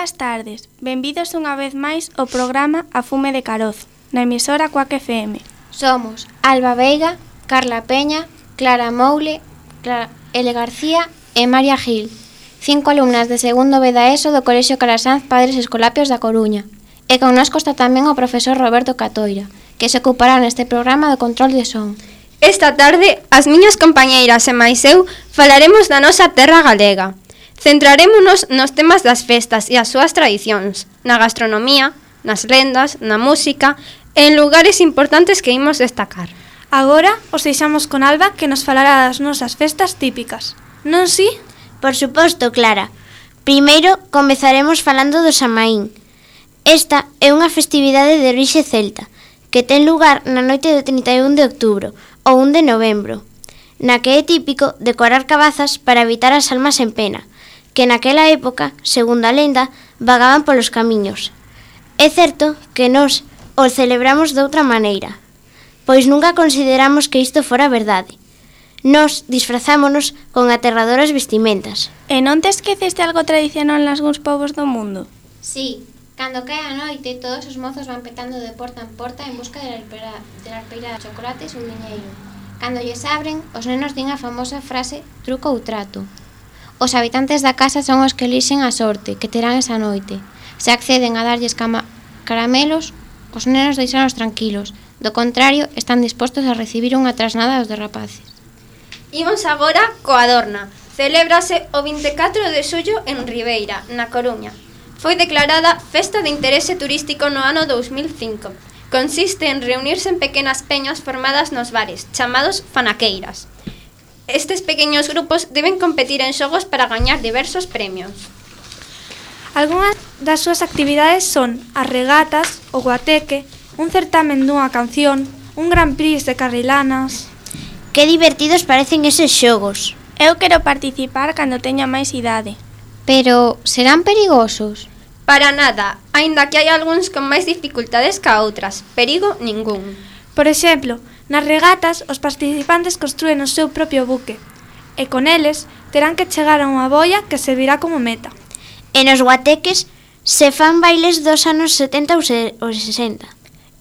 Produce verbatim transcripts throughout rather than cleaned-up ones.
Boas tardes, benvidos unha vez máis ao programa A Fume de Carozo, na emisora Cuac F M. Somos Alba Veiga, Carla Peña, Clara Moule, Clara L. García e María Gil, cinco alumnas de segundo B da ESO do Colexio Calasanz Padres Escolapios da Coruña. E connosco está tamén o profesor Roberto Catoira, que se ocupará neste programa do control de son. Esta tarde, as miñas compañeiras e máis eu falaremos da nosa terra galega. Centrarémonos nos temas das festas e as súas tradicións, na gastronomía, nas lendas, na música e en lugares importantes que imos destacar. Agora os deixamos con Alba, que nos falará das nosas festas típicas. Non si? Por suposto, Clara. Primeiro comezaremos falando do Samaín. Esta é unha festividade de orixe celta, que ten lugar na noite do trinta e un de outubro ou un de novembro, na que é típico decorar cabazas para evitar as almas en pena, que naquela época, segundo a lenda, vagaban polos camiños. É certo que nós o celebramos de outra maneira, pois nunca consideramos que isto fora verdade. Nós disfrazámonos con aterradoras vestimentas. E non te esqueceste algo tradicional nalgúns povos do mundo? Sí, cando cae a noite, todos os mozos van petando de porta en porta en busca de la alpeira de, la alpeira de chocolates ou diñeiro. Cando lles abren, os nenos din a famosa frase truco ou trato. Os habitantes da casa son os que elixen a sorte que terán esa noite. Se acceden a darlles cama caramelos, os nenos deixanos tranquilos. Do contrario, están dispostos a recibir unha trasnada dos derrapaces. Imos agora coa Adorna. Celébrase o vinte e catro de xullo en Ribeira, na Coruña. Foi declarada Festa de Interese Turístico no ano dous mil cinco. Consiste en reunirse en pequenas peñas formadas nos bares, chamados fanaqueiras. Estes pequeños grupos deben competir en xogos para gañar diversos premios. Algúnas das súas actividades son as regatas, o guateque, un certamen dunha canción, un Gran Prix de carrilanas... Que divertidos parecen eses xogos. Eu quero participar cando teña máis idade. Pero, serán perigosos? Para nada, aínda que hai algúns con máis dificultades ca outras, perigo ningún. Por exemplo, nas regatas os participantes construen o seu propio buque e con eles terán que chegar a unha boia que servirá como meta. E nos guateques se fan bailes dos anos setenta ou sesenta.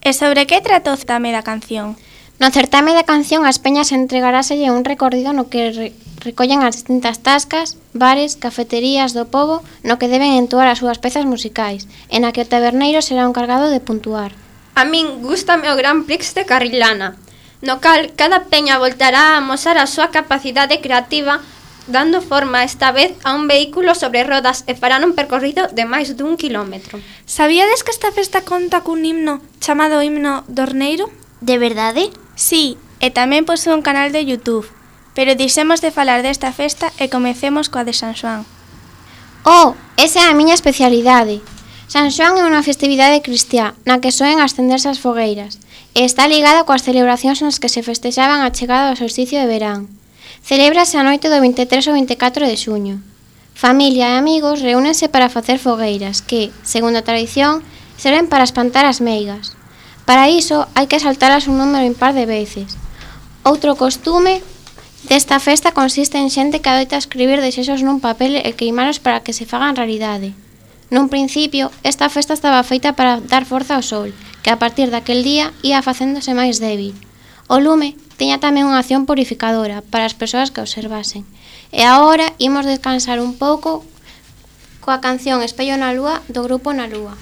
E sobre que tratou o certame da canción? No certame da canción as peñas entregaráselle un recorrido no que re recollen as distintas tascas, bares, cafeterías do pobo no que deben entoar as súas pezas musicais, e na que o taberneiro será o encargado de puntuar. A min gústame o Gran Prix de Carrilana, no cal cada peña voltará a amosar a súa capacidade creativa, dando forma esta vez a un vehículo sobre rodas e farán un percorrido de máis dun kilómetro. Sabíades que esta festa conta cun himno chamado Himno Dorneiro? De verdade? Sí, e tamén posúe un canal de YouTube, pero dixemos de falar desta festa e comecemos coa de San Xoán. Oh, esa é a miña especialidade. San Xoán é unha festividade cristiá na que soen ascenderse as fogueiras e está ligada coas celebracións nas que se festexaban a chegada do solsticio de verán. Celébrase a noite do vinte e tres ao vinte e catro de xuño. Familia e amigos reúnense para facer fogueiras que, segundo a tradición, serven para espantar as meigas. Para iso hai que saltalas un número impar de veces. Outro costume desta festa consiste en xente que adoita escribir desexos nun papel e queimalos para que se fagan realidade. Nun principio, esta festa estaba feita para dar forza ao sol, que a partir daquel día ia facéndose máis débil. O lume tiña tamén unha acción purificadora para as persoas que observasen. E agora imos descansar un pouco coa canción Espello na Lúa do grupo Na Lúa.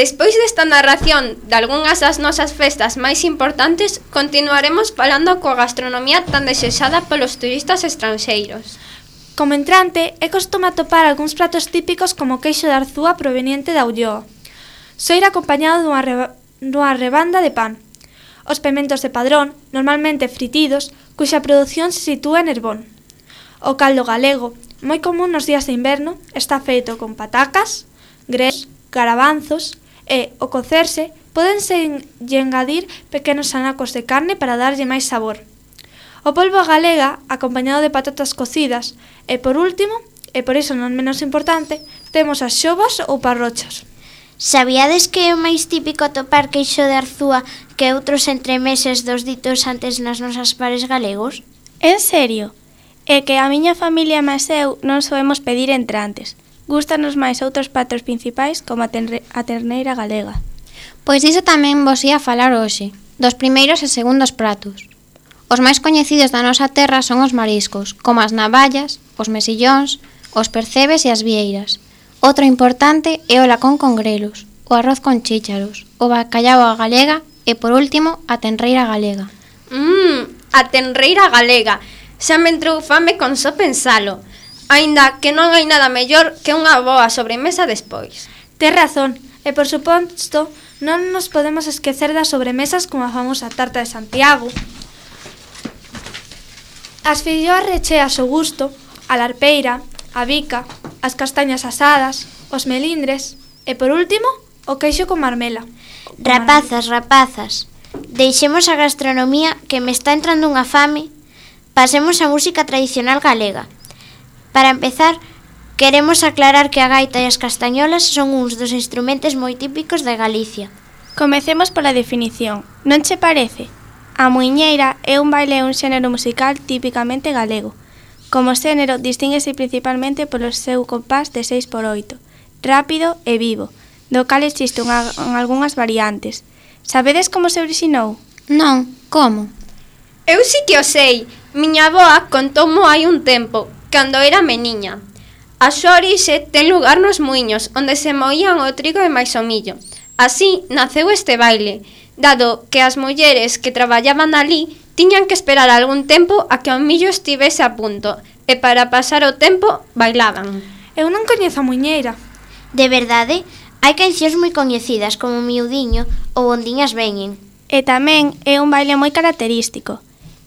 Despois desta narración de algunhas das nosas festas máis importantes, continuaremos falando coa gastronomía tan desexada polos turistas estranxeiros. Como entrante, é costume atopar algúns pratos típicos como o queixo de Arzúa proveniente da Ulloa. Soira acompañado dunha, reba, dunha rebanda de pan. Os pementos de Padrón, normalmente fritidos, cuxa produción se sitúa en Herbón. O caldo galego, moi común nos días de inverno, está feito con patacas, grelos, garabanzos e, ao cocerse, pódense engadir pequenos anacos de carne para darlle máis sabor. O polvo galega, acompañado de patatas cocidas, e por último, e por iso non menos importante, temos as xovas ou parrochas. Sabíades que é o máis típico atopar queixo de Arzúa que outros entremeses dos ditos antes nas nosas pares galegos? En serio? É que a miña familia máis eu non soemos pedir entrantes. Gústanos máis outros pratos principais como a, tenre, a terneira galega. Pois iso tamén vos ia falar hoxe, dos primeiros e segundos pratos. Os máis coñecidos da nosa terra son os mariscos, como as navallas, os mesillóns, os percebes e as vieiras. Outro importante é o lacón con grelos, o arroz con chícharos, o bacallau a galega e, por último, a tenreira galega. Mmm, a tenreira galega. Xa me entrou fame con só pensalo. Aínda que non hai nada mellor que unha boa sobremesa despois. Tes razón, e por suposto, non nos podemos esquecer das sobremesas como a famosa tarta de Santiago, as filloas recheas ao gusto, a larpeira, a bica, as castañas asadas, os melindres e, por último, o queixo con marmela. Rapazas, rapazas, deixemos a gastronomía que me está entrando unha fame. Pasemos á música tradicional galega. Para empezar, queremos aclarar que a gaita e as castañolas son uns dos instrumentos moi típicos de Galicia. Comecemos pola definición. Non che parece? A muiñeira é un baile e un xénero musical típicamente galego. Como xénero, distínguese principalmente polo seu compás de seis por oito, rápido e vivo, do cal existe unha, algunhas variantes. Sabedes como se orixinou? Non, como? Eu sí que o sei. Miña avoa contoumo hai un tempo, cando era meniña. A súa orixe ten lugar nos muiños, onde se moían o trigo e máis o millo. Así naceu este baile, dado que as mulleres que traballaban ali tiñan que esperar algún tempo a que o millo estivese a punto, e para pasar o tempo bailaban. Eu non coñezo a muiñeira. De verdade, hai cancións moi coñecidas como Miudiño ou Ondiñas veñen. E tamén é un baile moi característico.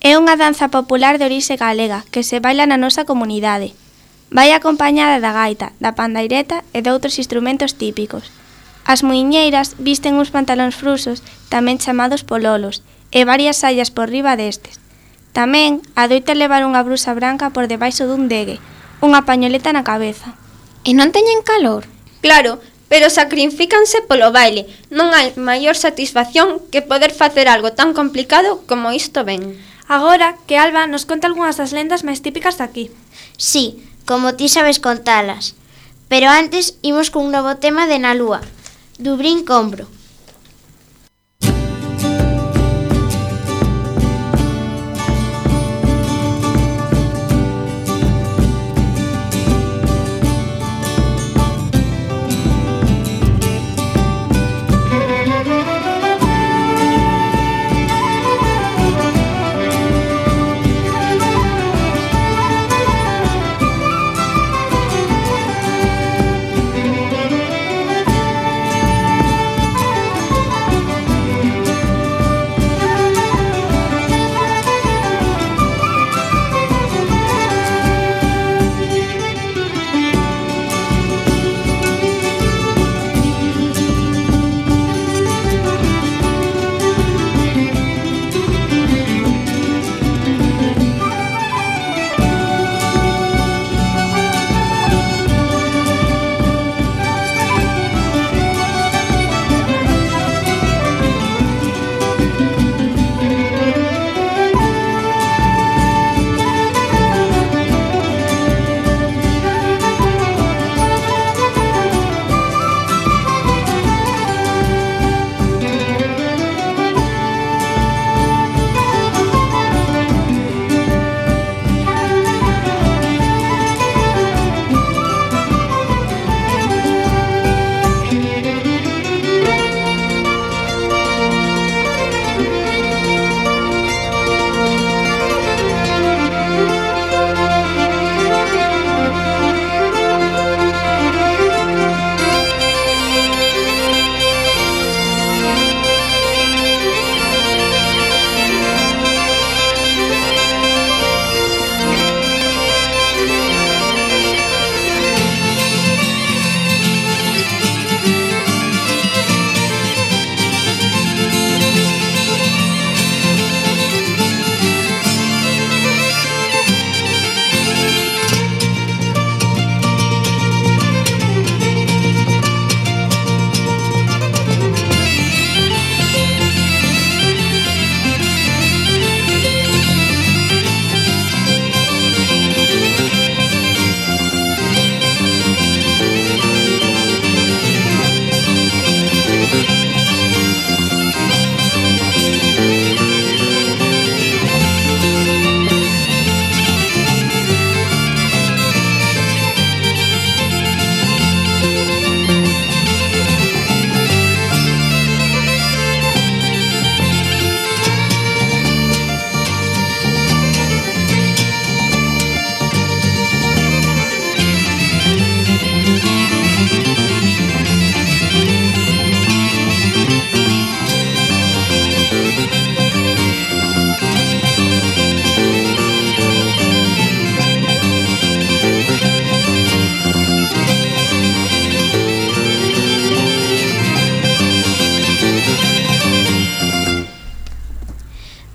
É unha danza popular de orixe galega que se baila na nosa comunidade. Vai acompañada da gaita, da pandaireta e de outros instrumentos típicos. As muiñeiras visten uns pantalóns frusos, tamén chamados pololos, e varias sallas por riba destes. Tamén adoita levar unha brusa branca por debaixo dun degue, unha pañoleta na cabeza. E non teñen calor? Claro, pero sacrifícanse polo baile. Non hai maior satisfacción que poder facer algo tan complicado como isto ven. Agora que Alba nos conta algunhas das lendas máis típicas daqui. Sí, como ti sabes contalas. Pero antes imos cun novo tema de Na Lúa, Dubrín Compro.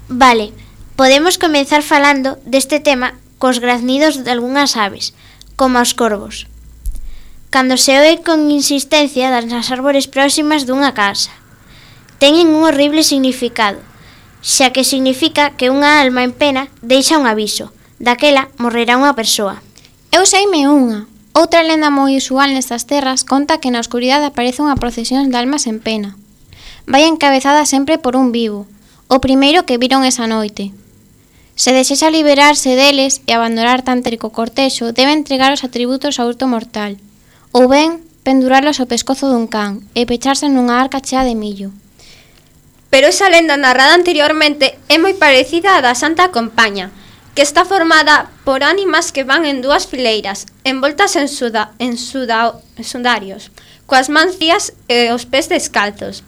Vale, podemos comenzar falando deste tema cos graznidos de algunhas aves, como os corvos. Cando se oe con insistencia das árbores próximas dunha casa, teñen un horrible significado, xa que significa que unha alma en pena deixa un aviso, daquela morrerá unha persoa. Eu seime unha. Outra lenda moi usual nestas terras conta que na oscuridade aparece unha procesión de almas en pena. Vai encabezada sempre por un vivo, o primeiro que viron esa noite. Se desexa liberarse deles e abandonar tan trico cortexo, debe entregar os atributos ao hurto mortal, ou ben penduralos ao pescozo dun can e pecharse nunha arca chea de millo. Pero esa lenda narrada anteriormente é moi parecida á da Santa Compaña, que está formada por ánimas que van en dúas fileiras, envoltas en, suda, en suda, sudarios, coas mans frías e os pés descalzos.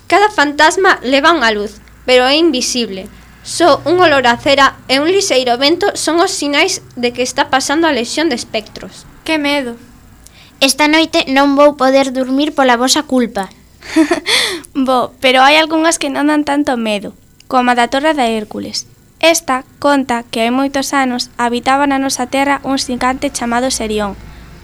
Cada fantasma leva unha luz, pero é invisible. Só un olor a cera e un lixeiro vento son os sinais de que está pasando a lexión de espectros. Que medo. Esta noite non vou poder dormir pola vosa culpa. Bo, pero hai algunhas que non dan tanto medo, como a da Torre de Hércules. Esta conta que hai moitos anos habitaba na nosa terra un xigante chamado Serión,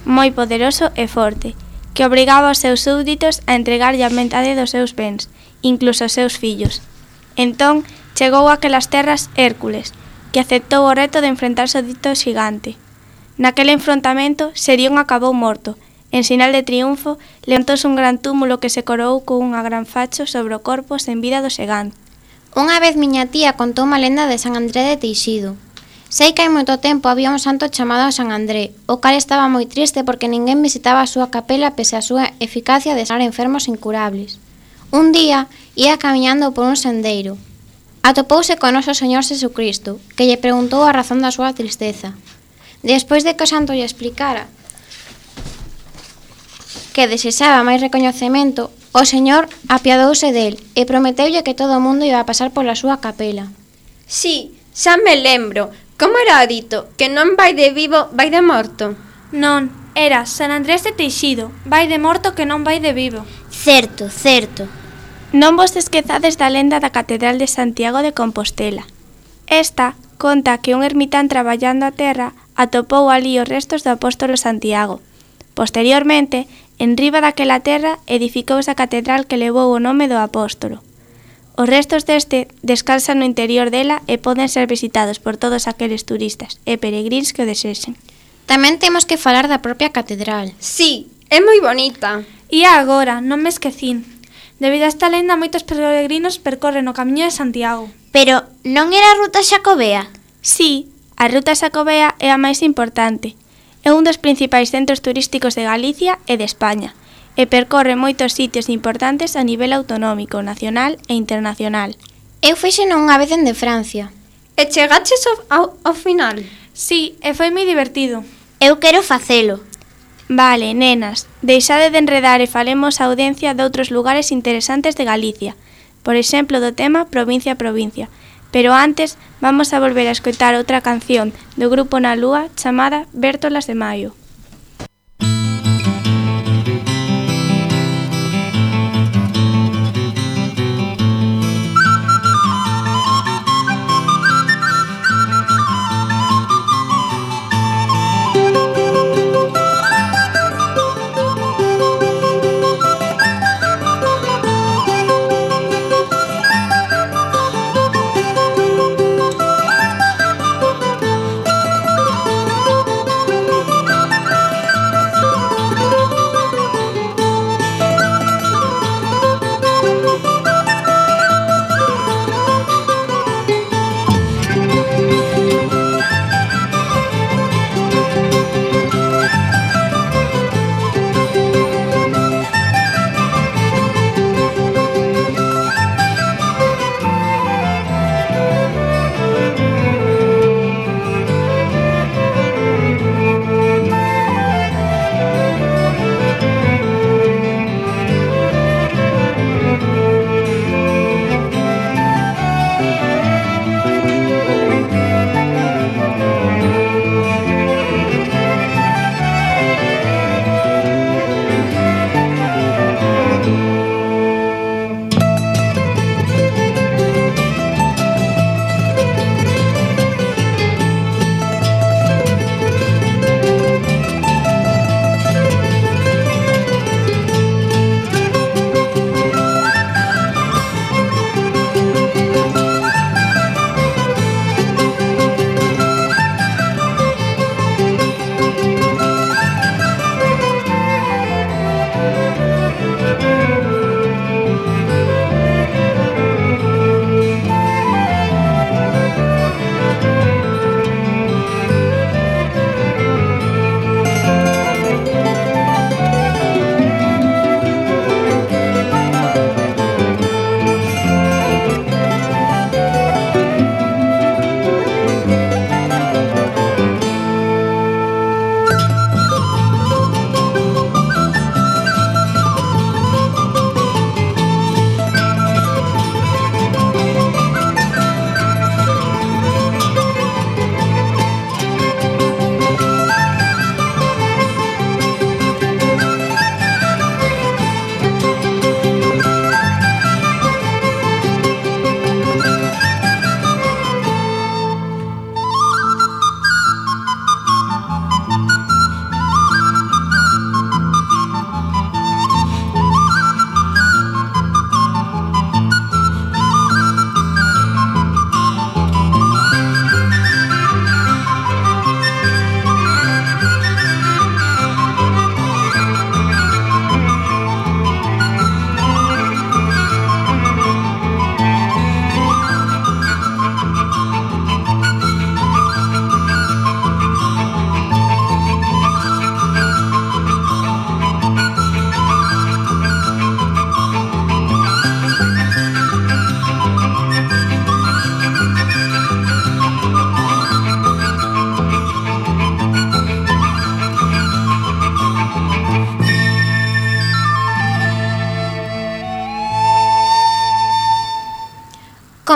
moi poderoso e forte, que obrigaba aos seus súbditos a entregarlle a metade dos seus bens, incluso os seus fillos. Entón, chegou a aquelas terras Hércules, que aceptou o reto de enfrentarse ao dito xigante. Naquele enfrontamento, Serión acabou morto. En sinal de triunfo, levantouse un gran túmulo que se coroou con unha gran facho sobre o corpo sen vida do xigante. Unha vez miña tía contou unha lenda de San André de Teixido. Sei que hai moito tempo había un santo chamado San André, o cal estaba moi triste porque ninguén visitaba a súa capela pese a súa eficacia de sanar enfermos incurables. Un día, ia camiñando por un sendeiro. Atopouse con noso Señor Jesucristo, que lle preguntou a razón da súa tristeza. Despois de que o santo lle explicara que desexaba máis recoñecemento, o Señor apiadouse del e prometeulle que todo o mundo iba a pasar pola súa capela. Sí, xa me lembro. Como era dito? Que non vai de vivo, vai de morto. Non, era San Andrés de Teixido, vai de morto que non vai de vivo. Certo, certo. Non vos esquezades da lenda da Catedral de Santiago de Compostela. Esta conta que un ermitán traballando a terra atopou ali os restos do apóstolo Santiago. Posteriormente, en riba daquela terra edificouse a catedral que levou o nome do apóstolo. Os restos deste descansan no interior dela e poden ser visitados por todos aqueles turistas e peregrins que o desexen. Tamén temos que falar da propia catedral. Sí, é moi bonita. E agora, non me esquecín. Debido a esta lenda, moitos peregrinos percorren o camiño de Santiago. Pero non era a ruta xacobea? Sí, a ruta xacobea é a máis importante. É un dos principais centros turísticos de Galicia e de España, e percorre moitos sitios importantes a nivel autonómico, nacional e internacional. Eu fixeno unha vez en de Francia. E chegaches ao, ao, ao final? Sí, e foi moi divertido. Eu quero facelo. Vale, nenas, deixade de enredar e falemos a audiencia de outros lugares interesantes de Galicia, por exemplo do tema provincia a provincia. Pero antes, vamos a volver a escoitar outra canción do grupo Na Lúa chamada Bértolas de Maio.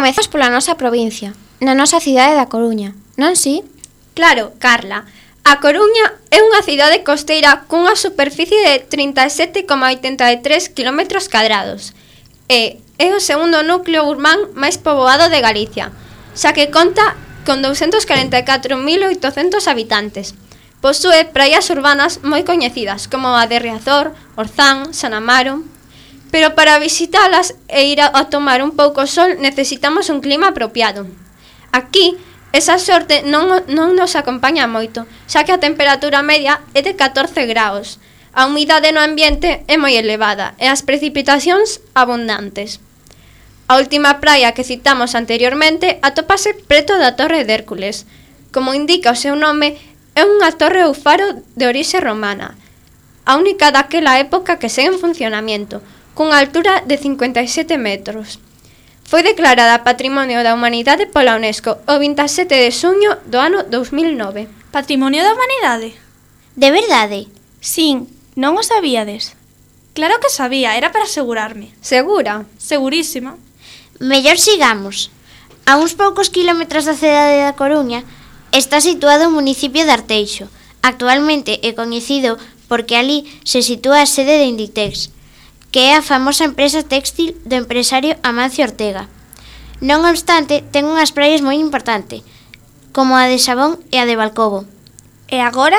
Comezamos pola nosa provincia, na nosa cidade da Coruña, non si? Claro, Carla. A Coruña é unha cidade costeira cunha superficie de trinta e sete coma oitenta e tres quilómetros cadrados e é o segundo núcleo urbán máis poboado de Galicia, xa que conta con doscientos cuarenta e catro mil oitocentos habitantes. Posúe praias urbanas moi coñecidas como a de Riazor, Orzán, San Amaro. Pero para visitalas e ir a, a tomar un pouco sol necesitamos un clima apropiado. Aquí, esa sorte non, non nos acompaña moito, xa que a temperatura media é de catorce graus. A humidade no ambiente é moi elevada e as precipitacións abundantes. A última praia que citamos anteriormente atópase preto da Torre de Hércules. Como indica o seu nome, é unha torre ou faro de orixe romana, a única daquela época que segue en funcionamento, cunha altura de cincuenta e sete metros. Foi declarada Patrimonio da Humanidade pola UNESCO o vinte e sete de xuño do ano dous mil nove. Patrimonio da Humanidade? De verdade? Sin, non o sabíades? Claro que sabía, era para asegurarme. Segura? Segurísima. Mellor sigamos. A uns poucos kilómetros da cidade da Coruña está situado o municipio de Arteixo. Actualmente é coñecido porque ali se sitúa a sede de Inditex, que é a famosa empresa téxtil do empresario Amancio Ortega. Non obstante, ten unhas praias moi importantes, como a de Sabón e a de Balcobo. E agora?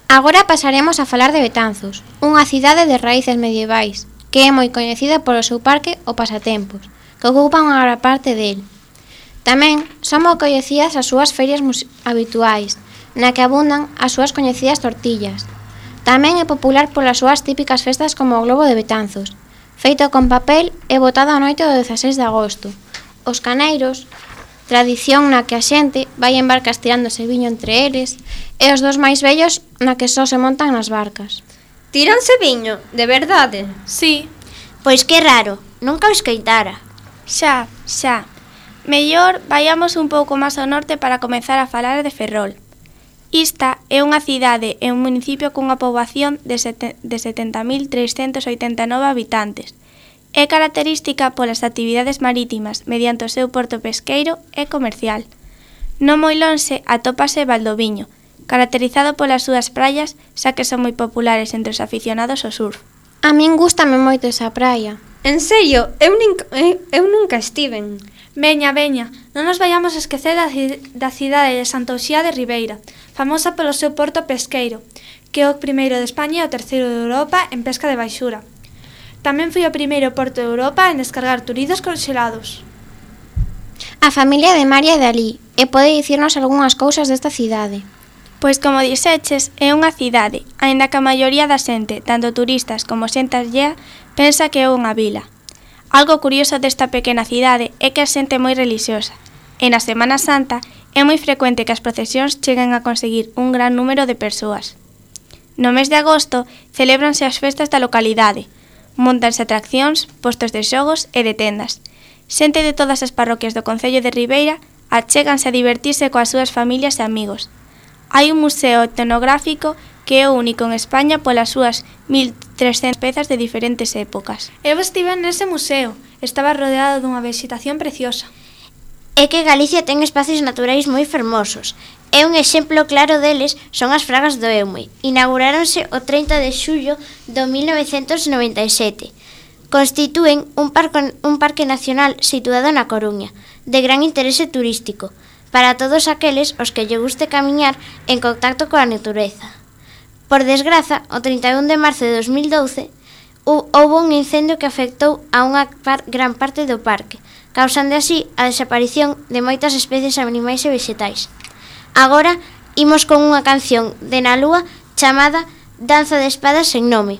Agora pasaremos a falar de Betanzos, unha cidade de raíces medievais, que é moi coñecida polo seu parque o Pasatempos, que ocupa unha gran parte del. Tamén son moi coñecidas as súas ferias habituais, na que abundan as súas coñecidas tortillas. Tamén é popular polas súas típicas festas como o Globo de Betanzos, feito con papel e botado a noite do dezaseis de agosto. Os caneiros, tradición na que a xente vai en barcas tirándose viño entre eles, e os dos máis vellos na que só se montan nas barcas. Tíranse viño, de verdade? Sí. Pois que raro, nunca o escoitara. Xa, xa. Mellor vayamos un pouco máis ao norte para comezar a falar de Ferrol. Ista é unha cidade e un municipio cunha poboación de, sete, de setenta mil trescentos oitenta e nove habitantes. É característica polas actividades marítimas mediante o seu porto pesqueiro e comercial. Non moi lonxe atópase Valdoviño, caracterizado polas súas praias, xa que son moi populares entre os aficionados ao surf. A min gústame moito esa praia. En serio, eu, nin, eu, eu nunca estiven. Veña, veña, non nos vayamos a esquecer da, da cidade de Santa Uxía de Ribeira, famosa polo seu porto pesqueiro, que é o primeiro de España e o terceiro de Europa en pesca de baixura. Tamén foi o primeiro porto de Europa en descargar turizos conxelados. A familia de María é de alí, e pode dicirnos algunhas cousas desta cidade. Pois como dixeches, é unha cidade, aínda que a maioría da xente, tanto turistas como xente allea, pensa que é unha vila. Algo curioso desta pequena cidade é que a xente é moi relixiosa, e na Semana Santa é moi frecuente que as procesións cheguen a conseguir un gran número de persoas. No mes de agosto celébranse as festas da localidade, montanse atraccións, postos de xogos e de tendas. Xente de todas as parroquias do concello de Ribeira achéganse a divertirse coas súas familias e amigos. Hai un museo etnográfico que é o único en España polas súas mil trescentas pezas de diferentes épocas. Eu estive nese museo, estaba rodeado dunha vexetación preciosa. É que Galicia ten espacios naturais moi fermosos. E un exemplo claro deles son as Fragas do Eume. Inauguráronse o trinta de xullo do mil novecentos noventa e sete. Constitúen un, parco, un parque nacional situado na Coruña, de gran interese turístico, para todos aqueles os que lle guste camiñar en contacto coa natureza. Por desgraza, o trinta e un de marzo de dos mil doce, houbo un incendio que afectou a unha par, gran parte do parque, causando así a desaparición de moitas especies animais e vegetais. Agora, imos con unha canción de Na Lúa chamada Danza de Espadas sen nome.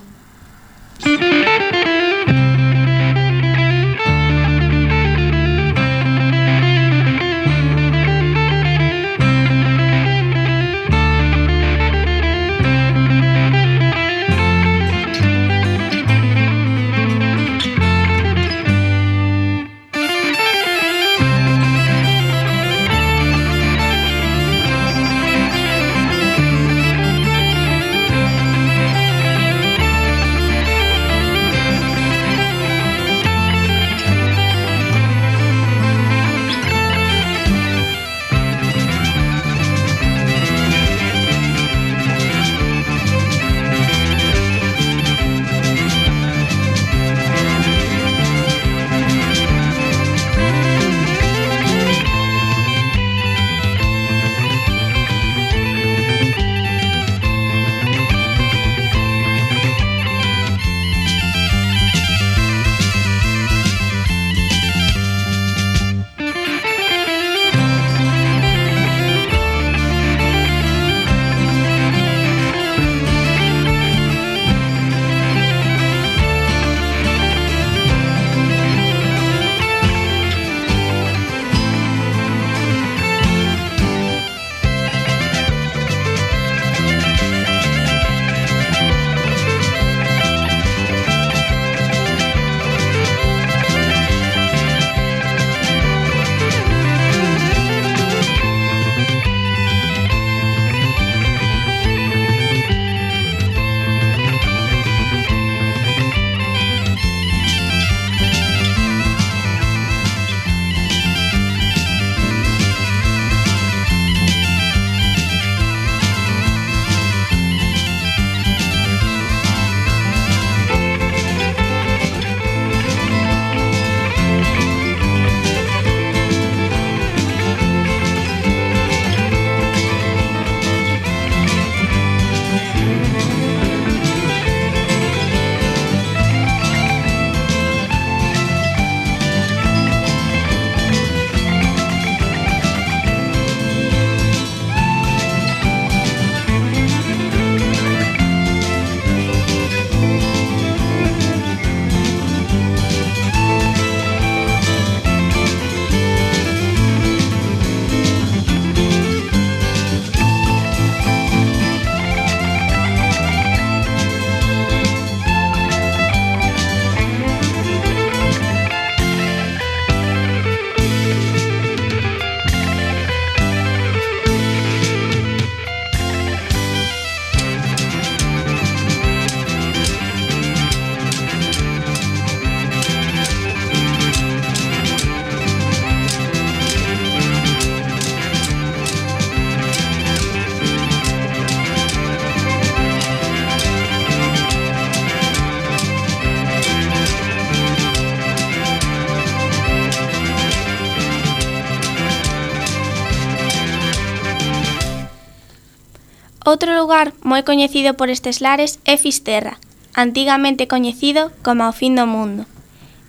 Outro lugar moi coñecido por estes lares é Fisterra, antigamente coñecido como o fin do mundo.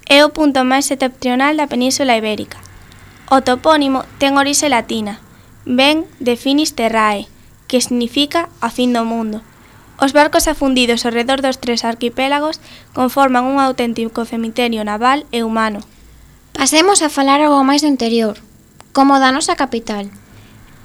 É o punto máis septentrional da Península Ibérica. O topónimo ten orixe latina, ven de finis terrae, que significa a fin do mundo. Os barcos afundidos ao redor dos tres arquipélagos conforman un auténtico cemiterio naval e humano. Pasemos a falar algo máis do interior, como da nosa capital.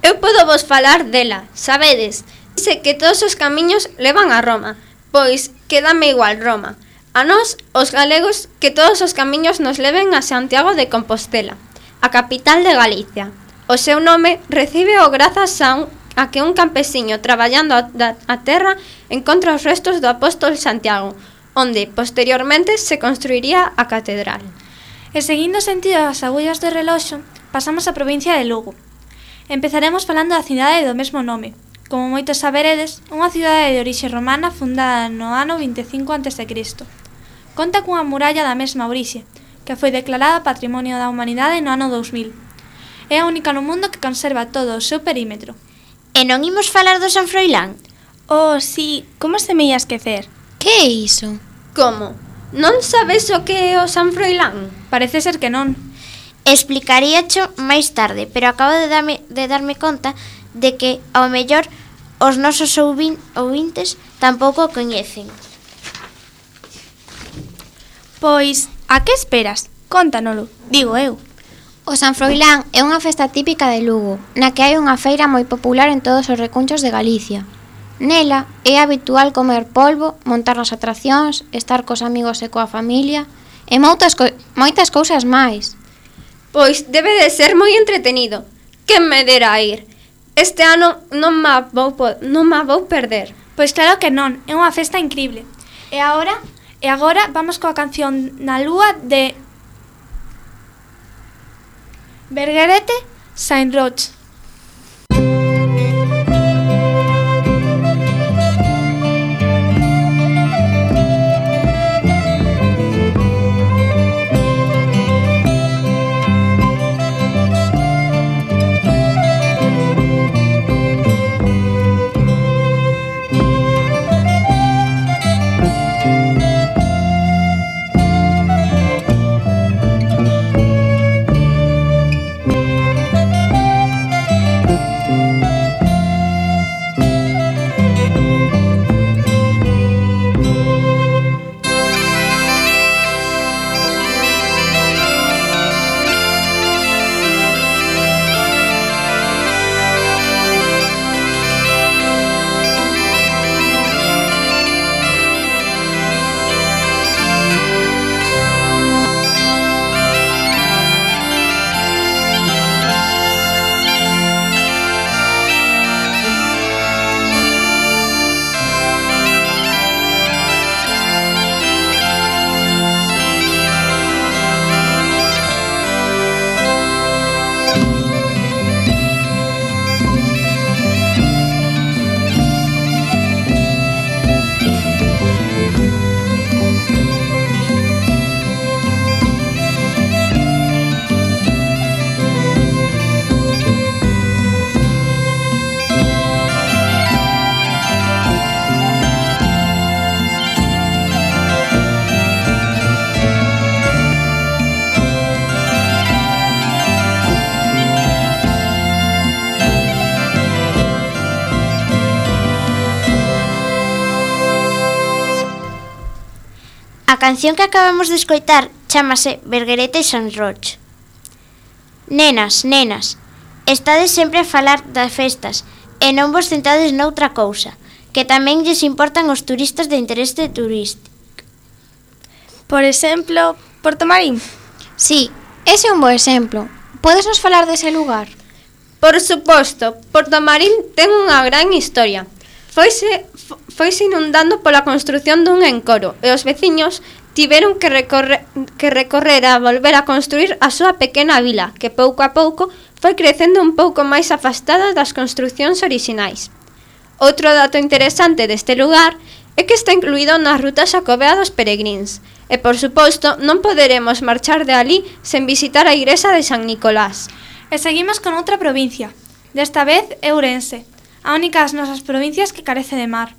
Eu podo vos falar dela, sabedes? Dice que todos os camiños levan a Roma, pois quédame igual Roma. A nós, os galegos, que todos os camiños nos leven a Santiago de Compostela, a capital de Galicia. O seu nome recibe o grazas a, un, a que un campesiño traballando a, a terra encontra os restos do apóstol Santiago, onde posteriormente se construiría a catedral. E seguindo o sentido das agullas do reloxo, pasamos á provincia de Lugo. Empezaremos falando da cidade do mesmo nome. Como moitos saberedes, unha cidade de orixe romana fundada no ano vinte e cinco antes de Cristo. Conta cunha muralla da mesma orixe, que foi declarada Patrimonio da Humanidade no ano dous mil. É a única no mundo que conserva todo o seu perímetro. E non imos falar do San Froilán? Oh, sí, como se me ia esquecer? Que é iso? Como? Non sabes o que é o San Froilán? Parece ser que non. Explicaríacho máis tarde, pero acabo de darme, de darme conta de que, ao mellor, os nosos ouvin, ouvintes tampouco o coñecen. Pois, a que esperas? Cóntanolo, digo eu. O San Froilán é unha festa típica de Lugo, na que hai unha feira moi popular en todos os recunchos de Galicia. Nela é habitual comer polvo, montar as atraccións, estar cos amigos e coa familia e moitas, co moitas cousas máis. Pois debe de ser moi entretenido. Que me dera a ir. Este ano non ma vou, non ma vou perder. Pois claro que non, é unha festa increíble. E agora, e agora vamos coa canción Na Lúa de Bergerete Saint Roch. A canción que acabamos de escoitar chámase Bergerete Saint Roch. Nenas, nenas, estades sempre a falar das festas e non vos centrades noutra cousa, que tamén lles importan os turistas de interese turístico. Por exemplo, Porto Marín. Sí, ese é un bo exemplo. Podes nos falar dese lugar? Por suposto, Porto Marín ten unha gran historia. Foise, foise inundando pola construción dun encoro e os veciños tiveron que recorrer, que recorrer a volver a construir a súa pequena vila, que pouco a pouco foi crecendo un pouco máis afastada das construcións orixinais. Outro dato interesante deste lugar é que está incluído na ruta xacobea dos peregrins, e por suposto non poderemos marchar de alí sen visitar a igrexa de San Nicolás. E seguimos con outra provincia, desta vez Ourense. a única das nosas provincias que carece de mar.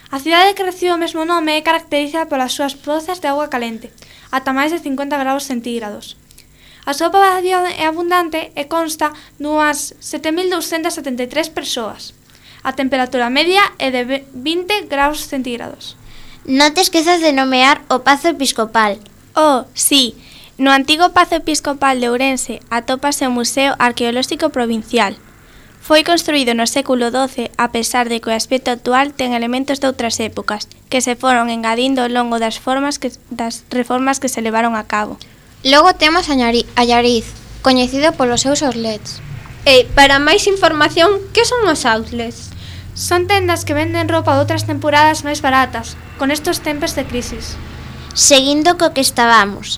A cidade que recibe o mesmo nome é caracterizada polas súas pozas de auga calente, ata máis de cincuenta graus centígrados. A súa poboación é abundante e consta dunhas sete mil douscentas setenta e tres persoas. A temperatura media é de vinte graus centígrados. Non te esquezas de nomear o Pazo Episcopal. Oh, sí, no antigo Pazo Episcopal de Ourense atópase o Museo Arqueolóxico Provincial. Foi construído no século doce, a pesar de que o aspecto actual ten elementos de outras épocas, que se foron engadindo ao longo das, formas que, das reformas que se levaron a cabo. Logo temos a Allariz, coñecido polos seus outlets. E, para máis información, que son os outlets? Son tendas que venden roupa de outras temporadas máis baratas, con estos tempos de crisis. Seguindo co que estábamos.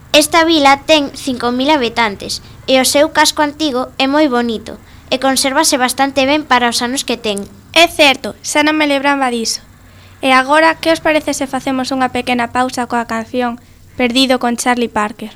Esta vila ten cinco mil habitantes e o seu casco antigo é moi bonito e consérvase bastante ben para os anos que ten. É certo, xa non me lembraba diso. E agora, que os parece se facemos unha pequena pausa coa canción Perdido con Charlie Parker?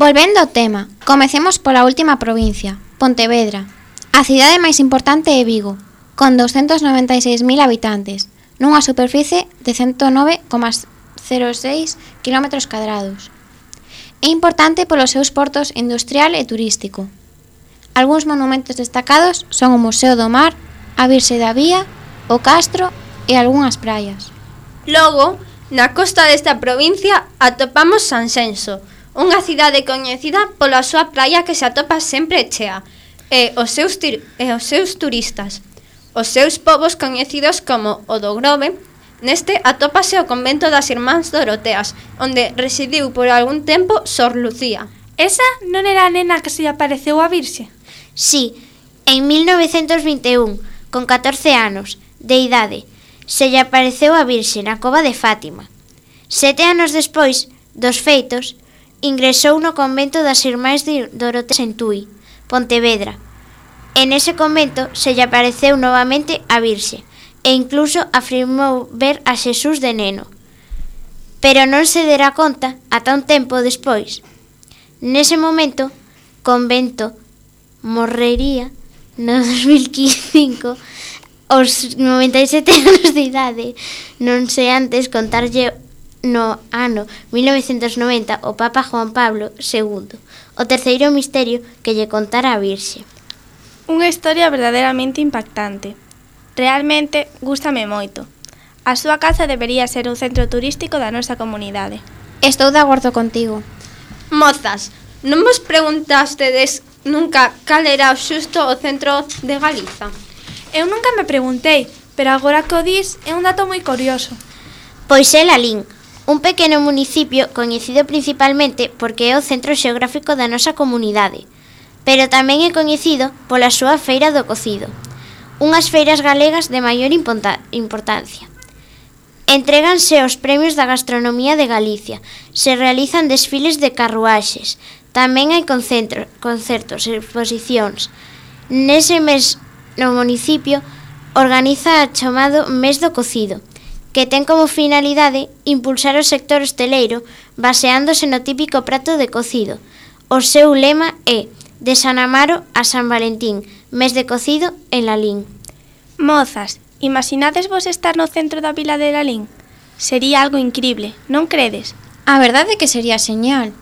Volvendo ao tema, comecemos pola última provincia, Pontevedra. A cidade máis importante é Vigo, con douscentos noventa e seis mil habitantes, nunha superficie de ciento nove coma cero seis quilómetros cadrados. É importante polos seus portos industrial e turístico. Algúns monumentos destacados son o Museo do Mar, a Virxe da Vía, o Castro e algunhas praias. Logo, na costa desta provincia atopamos Sanxenxo, unha cidade coñecida pola súa praia que se atopa sempre chea, e os seus, tir- e os seus turistas. Os seus povos coñecidos como o do Grove, neste atópase o convento das Irmáns Doroteas, onde residiu por algún tempo Sor Lucía. Esa non era a nena que se lle apareceu a Virxe? Sí, en mil novecentos vinte e un, con catorce anos de idade, se lle apareceu a Virxe na cova de Fátima. Sete anos despois dos feitos, ingresou no convento das Irmáns de Doroteas en Tui, Pontevedra. En ese convento se lle apareceu novamente a Virxe e incluso afirmou ver a Xesús de neno. Pero non se dera conta ata un tempo despois. Nese momento, convento morrería no dos mil cinco aos noventa e sete anos de idade. Non sei antes contarlle no ano mil novecentos noventa o Papa Juan Pablo segundo, o terceiro misterio que lle contara a Virxe. Unha historia verdadeiramente impactante. Realmente gústame moito. A súa casa debería ser un centro turístico da nosa comunidade. Estou de acordo contigo. Mozas, non vos preguntastedes nunca cal era o xusto o centro de Galiza? Eu nunca me preguntei, pero agora que o dis é un dato moi curioso. Pois é Lalín, un pequeno municipio coñecido principalmente porque é o centro xeográfico da nosa comunidade, pero tamén é coñecido pola súa feira do cocido, unhas feiras galegas de maior importancia. Entréganse os premios da gastronomía de Galicia, se realizan desfiles de carruaxes, tamén hai concentro, concertos e exposicións. Nese mes no municipio organiza o chamado Mes do Cocido, que ten como finalidade impulsar o sector hosteleiro baseándose no típico prato de cocido. O seu lema é de San Amaro a San Valentín, mes de cocido en Lalín. Mozas, imaginades vos estar no centro da vila de Lalín? Sería algo incrible, non credes? A verdade é que sería señal.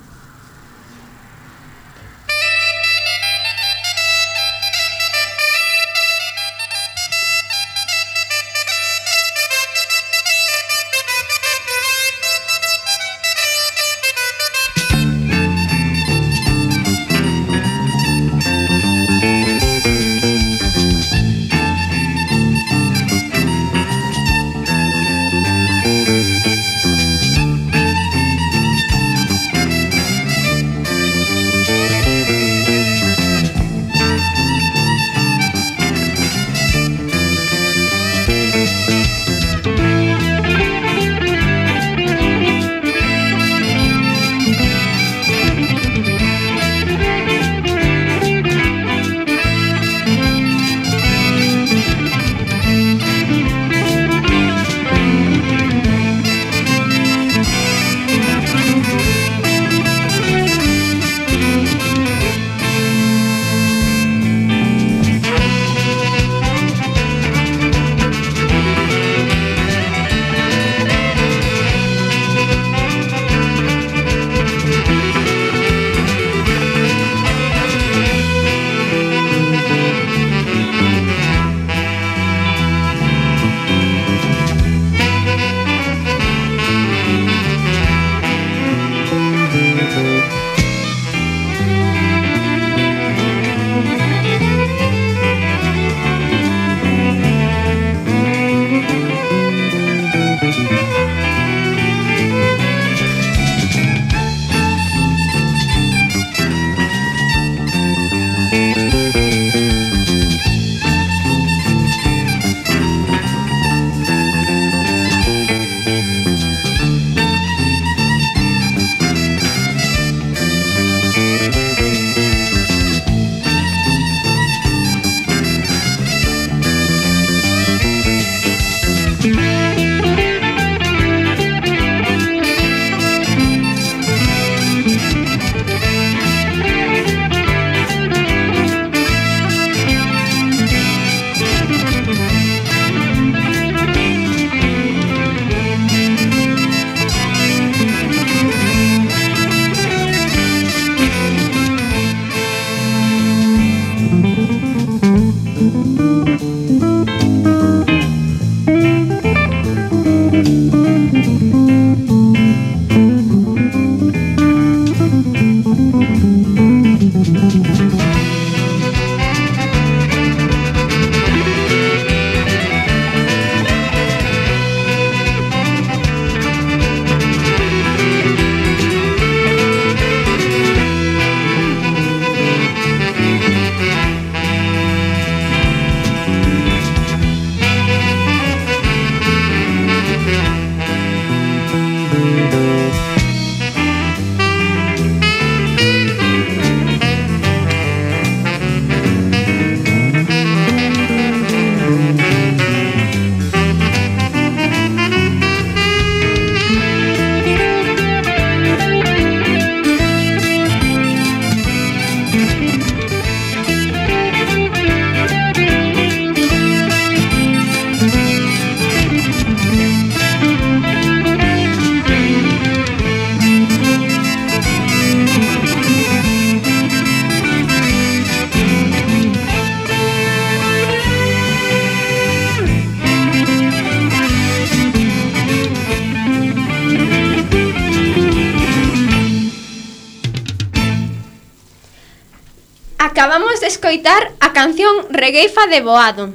Acabamos de escoitar a canción Regueifa de Boado.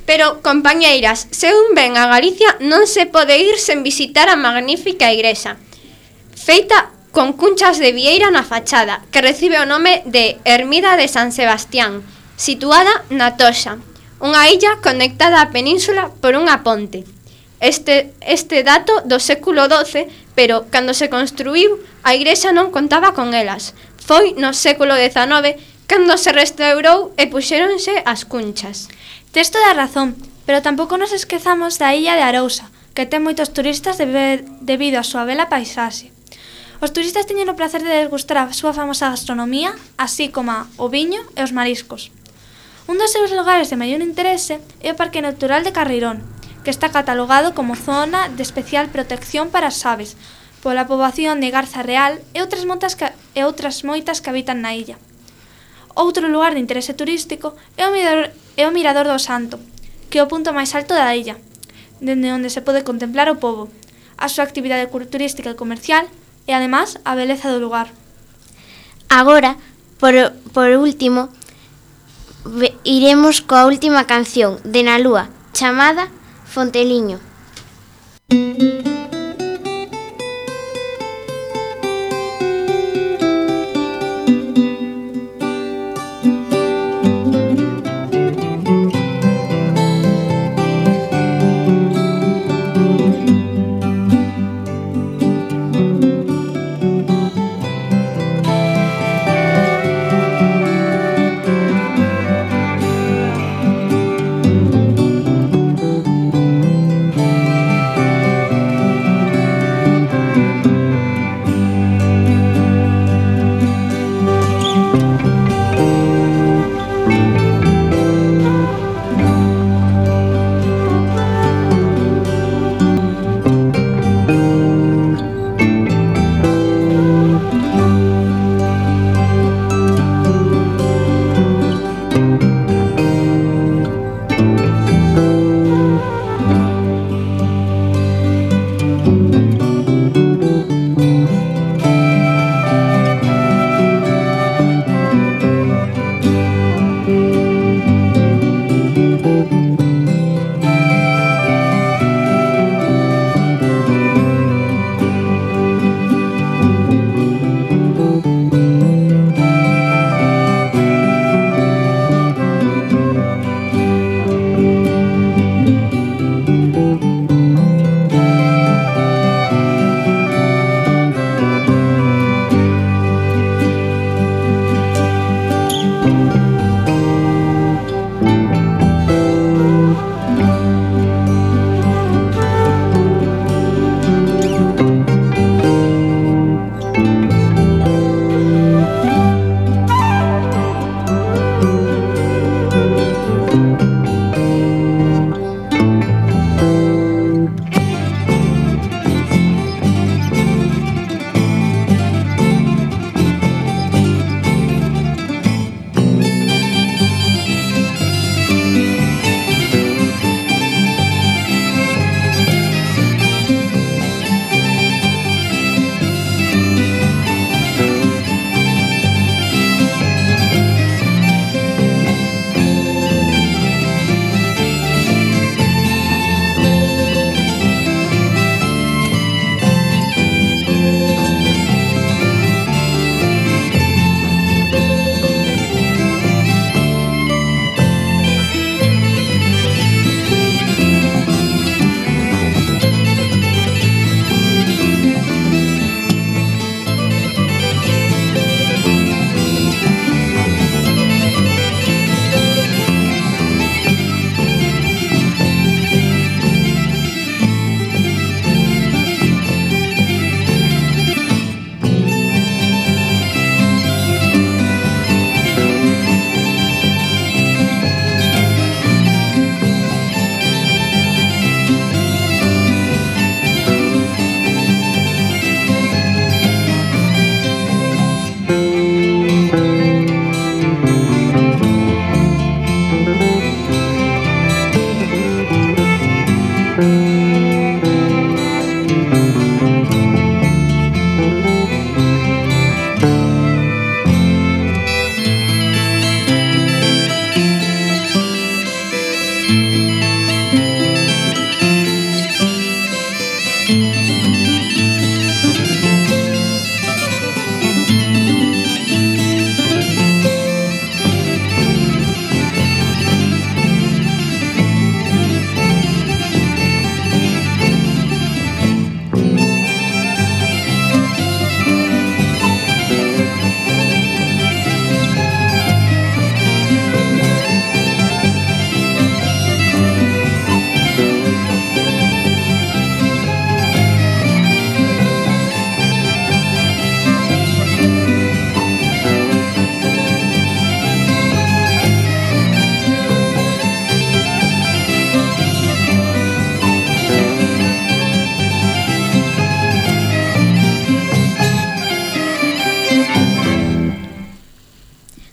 Pero, compañeiras, se un ven a Galicia non se pode ir sen visitar a magnífica igrexa, feita con cunchas de vieira na fachada, que recibe o nome de Ermida de San Sebastián, situada na Toxa, unha illa conectada á península por unha ponte. Este, este dato do século doce, pero cando se construíu, a igrexa non contaba con elas. Foi no século dezanove cando se restaurou e puxéronse as cunchas. Tes toda a razón, pero tampouco nos esquezamos da illa de Arousa, que ten moitos turistas debe, debido á súa bela paisaxe. Os turistas teñen o placer de degustar a súa famosa gastronomía, así como o viño e os mariscos. Un dos seus lugares de maior interese é o Parque Natural de Carreirón, que está catalogado como zona de especial protección para as aves, pola poboación de Garza Real e outras, moitas que, e outras moitas que habitan na illa. Outro lugar de interese turístico é o Mirador, é o Mirador do Santo, que é o punto máis alto da illa, dende onde se pode contemplar o pobo, a súa actividade turística e comercial e, además, a beleza do lugar. Agora, por, por último, iremos coa última canción de Na Lúa, chamada Fonteliño.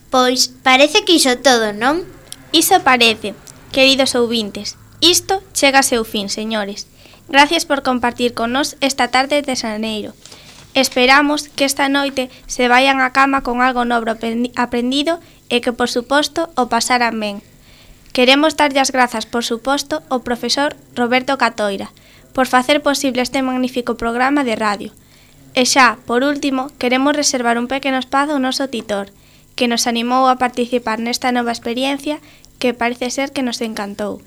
Pois parece que iso todo, non? Iso parece, queridos ouvintes. Isto chega a seu fin, señores. Gracias por compartir con nós esta tarde de xaneiro. Esperamos que esta noite se vayan á cama con algo novo aprendido e que, por suposto, o pasaran ben. Queremos darlle as grazas, por suposto, ao profesor Roberto Catoira por facer posible este magnífico programa de radio. E xa, por último, queremos reservar un pequeno espazo ao noso titor, que nos animou a participar nesta nova experiencia que parece ser que nos encantou.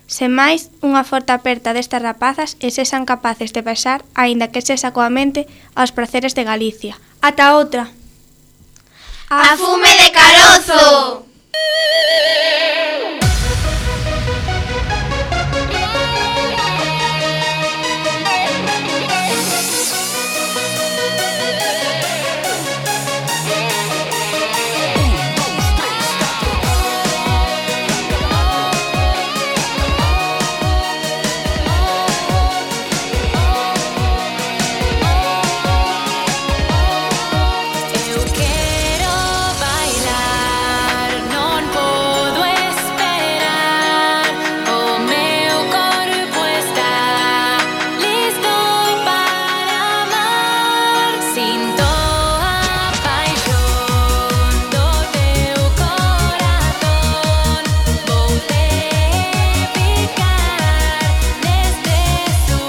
Sen máis, unha forte aperta destas rapazas e sexan capaces de pasar, aínda que sexa coa mente, aos praceres de Galicia. Ata outra! A fume de carozo!